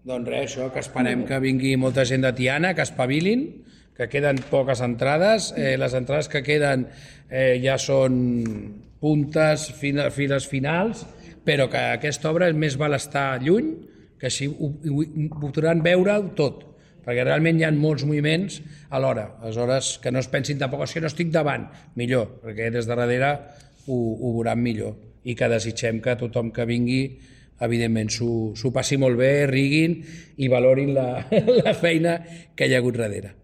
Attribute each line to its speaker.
Speaker 1: Doncs res, això, que esperem que vingui molta gent de Tiana, que espavilin, que queden poques entrades. Les entrades que queden ja són puntes, files finals, però que aquesta obra més val estar lluny, que així ho podran veure tot, perquè realment hi ha molts moviments alhora. Aleshores, que no es pensin tampoc, és que no estic davant, millor, perquè des de darrere ho veuran millor, i que desitgem que tothom que vingui evidentment s'ho passi molt bé, riguin i valorin la feina que hi ha hagut darrere.